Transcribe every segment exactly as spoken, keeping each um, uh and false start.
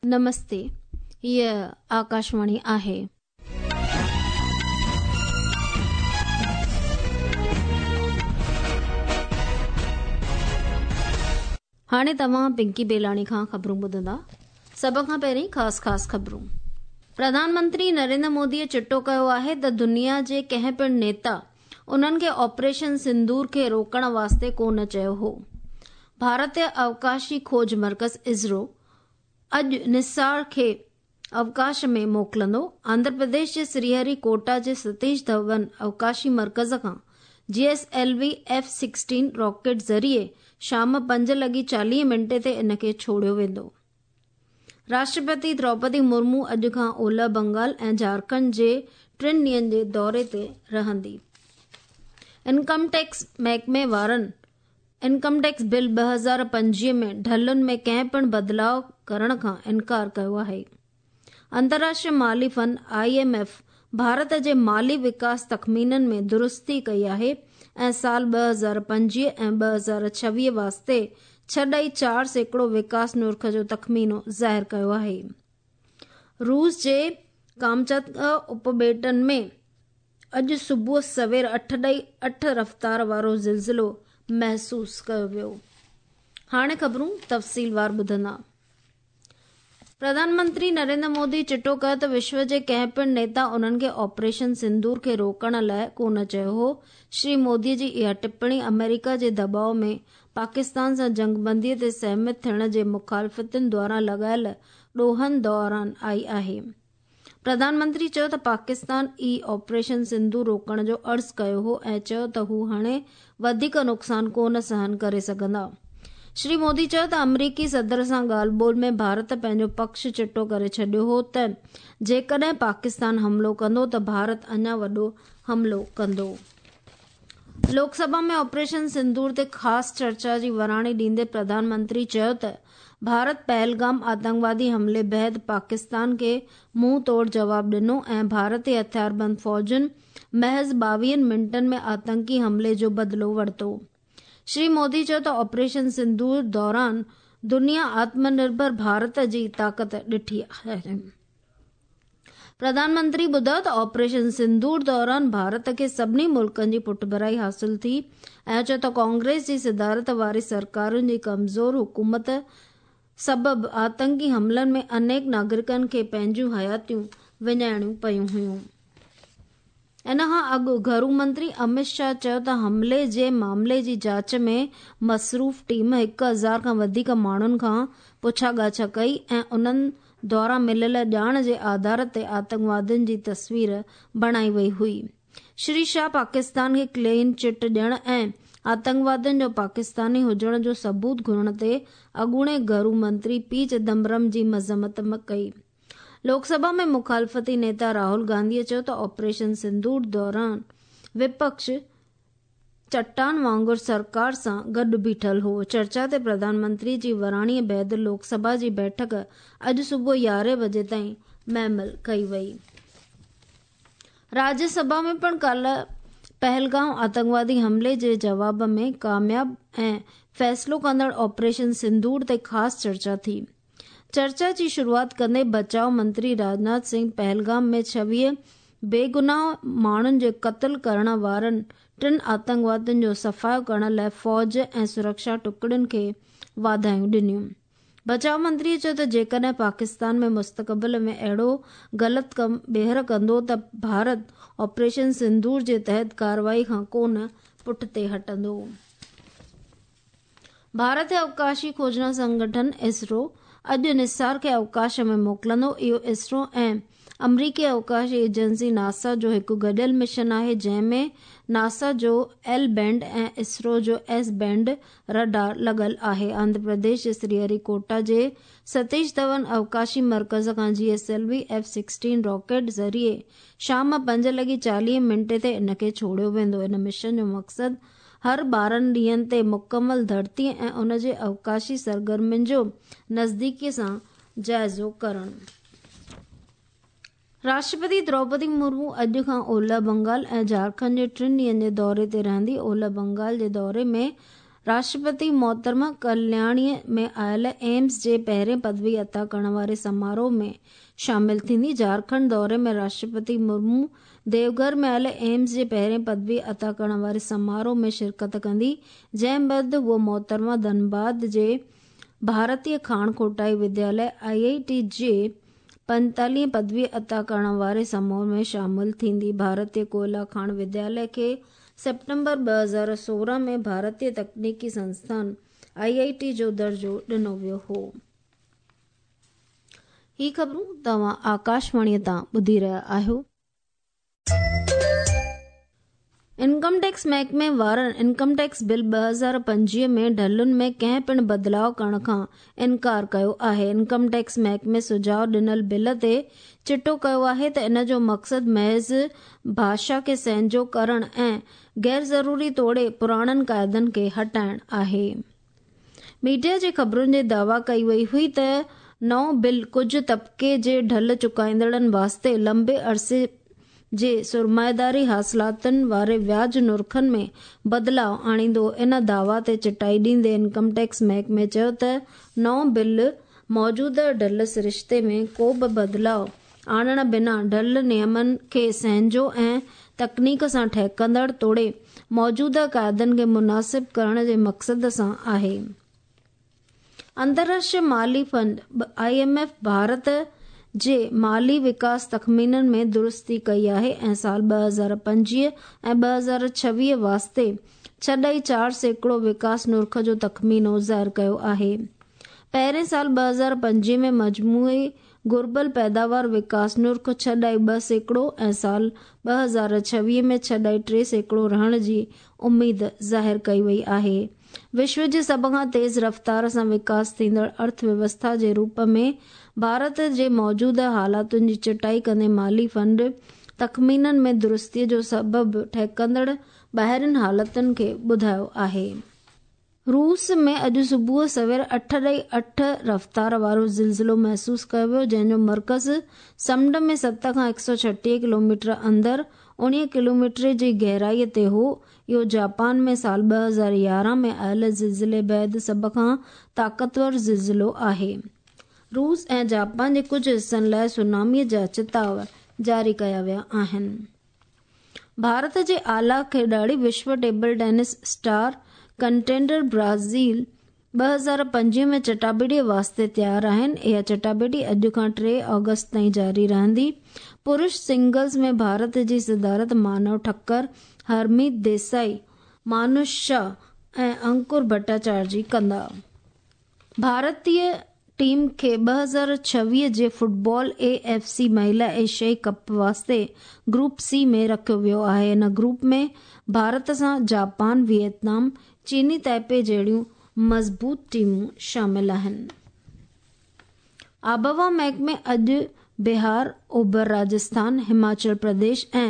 नमस्ते, हीअ आकाशवाणी आहे। हाणे तव्हां पिंकी बेलाणी खां ख़बरूं ॿुधंदा। सभ खां पहिरीं ख़ासि ख़ासि ख़बरूं। प्रधानमंत्री नरेंद्र मोदीअ चिटो कयो आहे त दुनिया जे कंहिं पिणु नेता उन्हनि खे ऑपरेशन सिंदूर खे रोकण वास्ते कोन चयो हो। भारतीय अवकाशी खोज मर्कज़ इसरो अॼु निसार खे अवकाश में मोकिलिंदो। आंध्र प्रदेश जे श्रीहरिकोटा जे सतीश धवन अवकाशी मर्कज़ खां G S L V F sixteen rocket ज़रिए शाम पंज लॻी चालीह मिंटे ते इन खे छोड़ियो वेंदो। राष्ट्रपति द्रौपदी मुर्मू अॼु खां ओलह बंगाल ऐं झारखंड जे टिनि ॾींहंनि जे दौरे ते रहंदी। इनकम टैक्स महकमे वारनि इनकम टैक्स बिल ॿ हज़ार पंजवीह में ढलुनि में कंहिं पिणु बदिलाव करण खां इनकार कयो आहे। अंतर्राष्ट्रीय माली fund I M F Bharat जे माली विकास तख़मीननि में दुरुस्ती कई आहे ऐं साल ॿ हज़ार पंजवीह ऐं ॿ हज़ार छवीह वास्ते छह ॾाई चारि सैकड़ो विकास नुर्ख जो तख़मीनो ज़ाहिर कयो आहे। रूस जे कामचत्का उपॿेटनि में अॼु सुबुह सवेर अठ ॾाई अठ रफ़्तार वारो ज़िलज़िलो महसूसु कयो वियो। हाणे ख़बरूं तफ़सीलवार ॿुधंदा। प्रधानमंत्री नरेंद्र मोदी चिटो कयो त विश्व जे कंहिं पिणु नेता उन्हनि खे ऑपरेशन सिंदूर खे रोकण लाइ कोन चयो हो। श्री मोदी जी इहा टिप्पणी अमेरिका जे दबाव में पाकिस्तान सां जंगबंदीअ ते सहमत थियण जे मुखालफ़तुनि द्वारा लॻायल ॾोहनि दौरान आई आहे। प्रधानमंत्री चयो त पाकिस्तान ई ऑपरेशन सिंदूर रोकण जो अर्ज़ु कयो हो ऐं चयो त हू हाणे वधीक नुक़सानु कोन सहन करे सघंदा। श्री मोदी चयो त अमरीकी सदर सां ॻाल्हि ॿोल में भारत पंहिंजो पक्ष चिटो करे छॾियो हो त जेकॾहिं पाकिस्तान हमलो कंदो त भारत अञा वॾो हमलो कंदो। लोकसभा में ऑपरेशन सिंदूर ते ख़ासि चर्चा जी वराणी ॾींदे प्रधानमंत्री चयो त भारत पहलगाम आतंकवादी हमले बाद पाकिस्तान खे मुंहुं तोड़ जवाब ॾिनो ऐं भारतीय हथियारबंद फ़ौजुनि महज़ ॿावीहनि मिंटनि में आतंकी हमले जो बदिलो वरितो। श्री मोदी चयो त ऑपरेशन सिंदूर दौरान दुनिया आत्मनिर्भर भारत जी ताक़त ॾिठी आहे। प्रधानमंत्री ॿुधायो त ऑपरेशन सिंदूर दौरान भारत खे सभिनी मुल्कनि जी पुठभराई हासिल थी ऐं चयो त कांग्रेस जी सदारत वारी सरकारुनि जी कमज़ोर हुकूमत सबबु आतंकी हमलनि में अनेक नागरिकनि खे पंहिंजूं हयातियूं विञाइणियूं पयूं हुयूं। इन खां अॻु घरू मंत्री अमित शाह चयो त हमले जे मामले जी जांच में मसरूफ़ टीम हिकु हज़ार खां वधीक माण्हुनि खां पुछा ॻाछा कई ऐं उन्हनि द्वारा मिलियल ॼाण जे आधार ते आतंकवादियुनि जी तस्वीर बणाई वई हुई। श्री शाह पाकिस्तान खे क्लीन चिट ॾियण ऐं आतंकवादियुनि जो पाकिस्तानी हुजण जो सबूत घुरण ते अॻूणे घरू मंत्री पी चिदम्बरम जी मज़म्मत कई। लोकसभा में मुखालफ़ती नेता राहुल गांधीअ चयो त ऑपरेशन सिंदूर दौरान विपक्ष चट्टान वांगुरु सरकार सां गॾु बीठल हो। चर्चा ते प्रधानमंत्री जी वराणीअ बाद लोकसभा जी बैठक अॼु सुबुह यारहें बजे ताईं महमल कई वई। राज्यसभा में पिणु काल्ह पहलगांव आतंकवादी हमले जे जवाब में कामयाब ऐं फ़ैसिलो कंदड़ ऑपरेशन सिंदूर ते ख़ासि चर्चा थी। चर्चा जी शुरूआत कंदे बचाव मंत्री राजनाथ सिंह पहलगाम में छवीह बेगुनाह माण्हुनि जे क़तल करण वारनि टिनि आतंकवादियुनि जो सफ़ायो करण लाइ फ़ौज ऐं सुरक्षा टुकड़ियुनि खे वाधायूं ॾिनियूं। बचाव मंत्रीअ चयो त जेकॾहिं पाकिस्तान में मुस्तक़बिल में अहिड़ो ग़लति कमु ॿीहर कंदो त भारत ऑपरेशन सिंदूर जे तहत कार्रवाई खां कोन पुठिते हटंदो। भारत अवकाशी खोजना संगठन इसरो अॼु निसार खे अवकाश में मोकिलिंदो। इहो इसरो ऐं अमरीकी अवकाश एजेंसी नासा जो हिकु गॾियल मिशन आहे, जंहिं में नासा जो एल बैंड ऐं इसरो जो एस बैंड रडार लॻल आहे। आंध्र प्रदेश जे श्रीहरिकोटा जे सतीश धवन अवकाशी मर्कज़ खां G S L V F sixteen rocket ज़रिए शाम पंज लॻी चालीह मिंटे ते इन खे छोड़ियो वेंदो। इन मिशन जो मक़सदु हर ॿारहं ॾींहंनि ते मुकमल धरती ऐं उन जे अवकाशी सरगर्मियुनि जो नज़दीकीअ सां जाइज़ो करणु। राष्ट्रपति द्रौपदी मुर्मू अॼु खां ओलह बंगाल ऐं झारखंड जे टिनि ॾींहंनि जे दौरे ते रहंदी। ओलह बंगाल जे दौरे में راشٽرپتي محترمه ڪلياڻيءَ ۾ آيل ايمس جي پهرين پدوي عطا ڪرڻ واري سماروهه ۾ شامل ٿيندي. جهارکنڊ دوري ۾ راشٽرپتي مرمو ديوگهر ۾ آيل ايمس جي پهرين پدوي عطا ڪرڻ واري سماروهه ۾ شرڪت ڪندي، جنهن بعد هوء محترمه ڌنباد جي ڀارتيه کاڻ کوٽائي ودياليه I I ٽي جي پنجيتاليهه پدوي عطا ڪرڻ واري سماروهه ۾ شامل ٿيندي. ڀارتيه ڪوئلا کاڻ ودياليه کي سيپٽمبر ٻه هزار سورهن ۾ ڀارتيه تڪنيڪي سنسٿان I I ٽي جو درجو ڏنو ويو هو. هي خبرون توهان آڪاشواڻيءَ تان ٻڌي رهيا آهيو. انڪم ٽيڪس محڪمي وارن انڪم ٽيڪس بل ٻه هزار پنجويهه ۾ ڍلن ۾ ڪنهن پڻ بدلاءُ ڪرڻ کان انڪار ڪيو آهي. انڪم ٽيڪس محڪمي سجهاءُ ڏنل بل تي چٽو ڪيو آهي ته ان جو مقصد محض ڀاشا کي سهنجو ڪرڻ ۽ غير ضروري توڙي پراڻن قاعدن کي هٽائڻ آهي. ميڊيا جي خبرن جي دعويٰ ڪئي وئي هئي ته نئون بل ڪجهه طبقي جي ڍل چڪائيندڙن واسطي لمبي عرصي جي سرمائيداري حاصلاتن واري وياج نرخن ۾ بدلاءُ آڻيندو. ان دعويٰ تي چٽائي ڏيندي انڪم ٽيڪس محڪمي چيو ته نئون بل موجوده ڍل سرشتي ۾ ڪو به بدلاءُ آڻڻ بنا ڍل نيمن کي سهنجو ۽ تڪنيڪ سان ٺهڪندڙ توڙي موجوده قاعدن کي مناسب ڪرڻ جي مقصد سان آهي. انترراشٽريه مالي fund I M F Bharat جي مالي وڪاس تخمينن ۾ درستي ڪئي آهي ۽ سال ٻه هزار پنجويهه ۽ ٻه هزار ڇويهه واسطي ڇهه ڏهه چار سيڪڙو وڪاس نرخ جو تخمينو ظاهر ڪيو آهي. پهرين سال ٻه هزار پنجويهه ۾ مجموعي گهربل پيداوار وڪاس نرخ ڇهه ڏهه ٻه سيڪڙو ۽ سال ٻه هزار ڇويهه ۾ ڇهه ڏهه ٽي سيڪڙو رهڻ جي اميد ظاهر ڪئي وئي آهي. وشو جي سڀ کان تيز رفتار سان وڪاس ٿيندڙ ارٿ ويوسٿا جي روپ ۾ ڀارت جي موجوده حالاتن جي چٽائي ڪندي مالي فنڊ تخمينن ۾ درستيءَ جو سبب ٺهڪندڙ ٻاهرين حالتن کي ٻڌايو آهي. روس ۾ اڄ صبح سوير اٺ ڏهه اٺ رفتار وارو زلزلو محسوس ڪيو ويو، جنهن جو مرڪز سمنڊ ۾ ست کان هڪ سؤ ڇٽيهه ڪلوميٽر اندر اڻويهه ڪلوميٽر جي گهرائيءَ تي هو. اهو جاپان ۾ سال ٻه هزار يارهن ۾ آيل زلزلي بعد سڀ کان طاقتور زلزلو آهي. روس ۽ جاپان جي ڪجهه حصن لاءِ سوناميءَ جا چتاءُ جاري ڪيا ويا آهن. ڀارت جي اعليٰ کيڏاڙي وشو table tense star contender Brazil ٻه هزار پنجويهه ۾ چٽاڀيٽيءَ واسطي تيار آهن. اها چٽاڀيٽي اڄ کان ٽي آگسٽ تائين جاري رهندي. پرش سنگلز ۾ ڀارت جي صدارت مانو ٺڪر، هرميت ديسائي، مانوش شاهه ۽ انڪر ڀٽاچارجي ڪندا. ڀارتيه ٽيم کي ٻه هزار ڇويهه جي فٽبال اي ايف سي مهلا ايشيائي ڪپ واسطي گروپ سي ۾ رکيو ويو آهي. ان گروپ ۾ ڀارت سان جاپان، ويٽنام، چيني تائپي جهڙيون مضبوط ٽيمون شامل آهن. آبهوا محڪمي اڄ بهار، اوڀر راجسٿان، هماچل پرديش ۽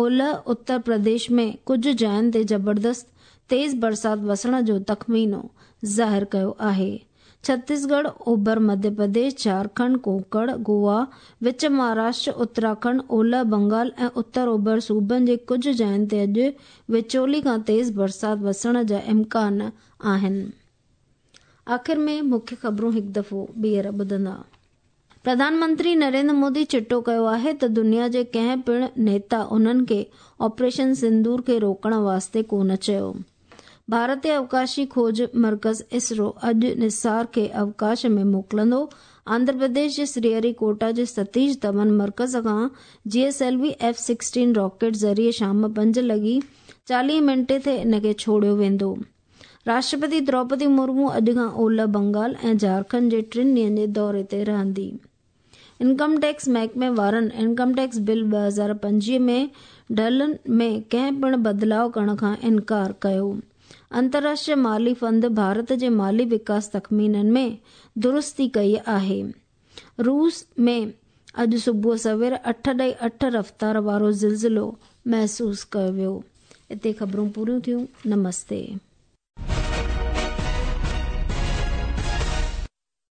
اولهه اتر پرديش ۾ ڪجهه جاين تي زبردست تيز برسات وسڻ جو تخمينو ظاهر ڪيو آهي. ڇتيسڳڙهه، اوڀر مڌيه پرديش، جهارکنڊ، ڪونڪڻ، گوا، وچ مهاراشٽر، اتراکنڊ، اولهه بنگال ۽ اتر اوڀر صوبن جي ڪجهه جاين تي اڄ وچولي کان تيز برسات وسڻ جا امڪان آهن. آخر ۾ مکيه خبرون هڪ دفعو ٻيهر ٻڌندا. پرڌان منتري نريندر مودي چٽو ڪيو آهي ته دنيا جي ڪنهن پڻ نيتا انهن کي آپريشن سندور کي روڪڻ واسطي ڪونه چيو. ڀارتيه اوڪاشي کوج مرڪز اسرو اڄ نثار کي اوڪاش ۾ موڪلندو. آنڌرا پرديش جي سريهريڪوٽا جي ستيش ڌون مرڪز کان G S L V F sixteen rocket ذريعي شام پنج لڳي چاليهه منٽي تي ان کي ڇوڙيو ويندو. راشٽرپتي دروپدي مرمو اڄ کان اولهه بنگال ۽ جهارکنڊ جي ٽن ڏينهن جي دوري تي رهندي. انڪم ٽيڪس محڪمي وارن انڪم ٽيڪس بل ٻه هزار پنجويهه ۾ ڍلن ۾ ڪنهن پڻ بدلاءُ ڪرڻ کان انڪار ڪيو. انترراشٽريه مالي فنڊ ڀارت جي مالي وڪاس تخمينن ۾ درستي ڪئي آهي. روس ۾ اڄ صبح سوير اٺ ڏهه اٺ رفتار وارو زلزلو محسوس ڪيو ويو. هتي خبرون پوريون ٿيون. نمستي.